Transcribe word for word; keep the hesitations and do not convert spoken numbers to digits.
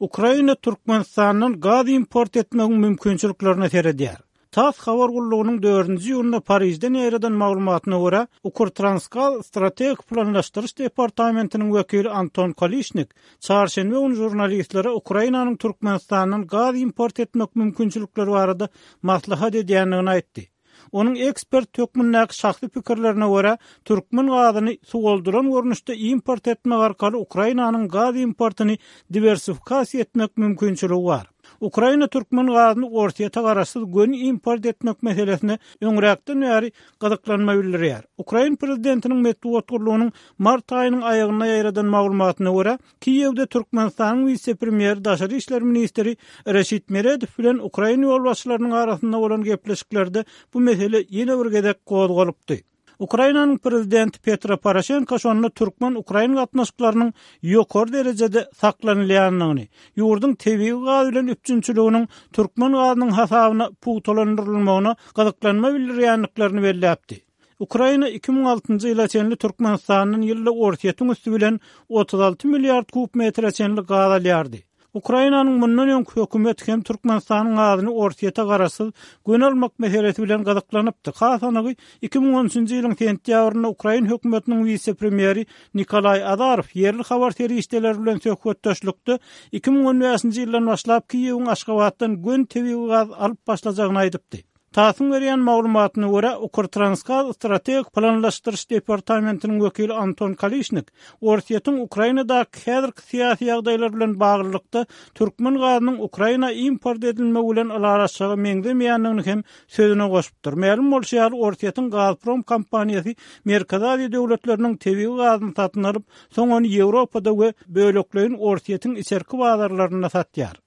Ukraina Türkmenistandan gaz import etmegiň mümkinçiliklerine seredýär. TASS habar gullugynyň dördünji iýunda Parižden ýaýradan maglumatyna görä, Ukrtransgaz strategik planlaşdyryş departamentiniň wekili Anton Kolişnik çarşenbe güni žurnalistlere Ukrainanyň Türkmenistandan gaz import etmek mümkinçilikleri barada maslahat edýändigini aýtdy. Onuň ekspert hökmündäki şahsy pikirlerine görä, türkmen gazyny suwaldylan görnüşde import etmek arkaly Ukrainanyň gaz importyny diwersifikasiýa etmek mümkinçiligi bar. Ukraina türkmen gazyny Orsýete garaşsyz göni import etmek meselesine öňräkden bäri gyzyklanma bildirýär. Ukrain prezidentiniň metbugat gullugynyň mart aýynyň aýagynda ýaýradan maglumatyna görä, Kiýewde Türkmenistanyň wise-premýeri, daşary işler ministri Reşit Meredow bilen ukrain ýolbaşçylarynyň arasynda bolan gepleşiklerde bu mesele ýene bir gezek gozgalypdy. Ukrainanyň prezidenti Petro Poroşenko şonda türkmen-ukrain gatnaşyklarynyň ýokary derejede saklanylýandygyny, ýurduň tebigy gaz bilen üpjünçiliginiň türkmen gazynyň hasabyna pugtalandyrylmagyna gyzyklanma bildirýändiklerini belläpdi. Ukraina iki müň altynjy ýyla çenli Türkmenistandan ýylda Orsýetiň üsti bilen otuz alty milliard kub metre çenli gaz alýardy. Ukrainanyň mundan öňki hökümeti hem Türkmenistanyň gazyny Orsýete garaşsyz göni almak meselesi bilen gyzyklanypdy. Has anygy, iki müň on üçünji ýylyň sentýabrynda ukrain hökümetiniň wise-premýeri Nikolaý Azarow ýerli habar serişdeleri bilen söhbetdeşlikde iki müň on bäşinji ýyldan başlap Kiýewiň Aşgabatdan göni tebigy gaz alyp başlajagyny aýdypdy. TASS-yň berýän maglumatyna görä, Ukrtransgaz strategik planlaşdyryş departamentiniň wekili Anton Kalişnik Orsýetiň Ukrainadaky häzirki syýasy ýagdaýlar bilen baglylykda türkmen gazynyň Ukraina import edilmegi bilen ylalaşjaga meňzemeýändigini hem sözüne goşupdyr. Mälim bolşy ýaly, Orsýetiň Gazprom kompaniýasy Merkezi Aziýa döwletleriniň tebigy gazyny satyn alyp, soň ony Ýewropada we bölekleýin Orsýetiň içerki bazarlarynda satýar.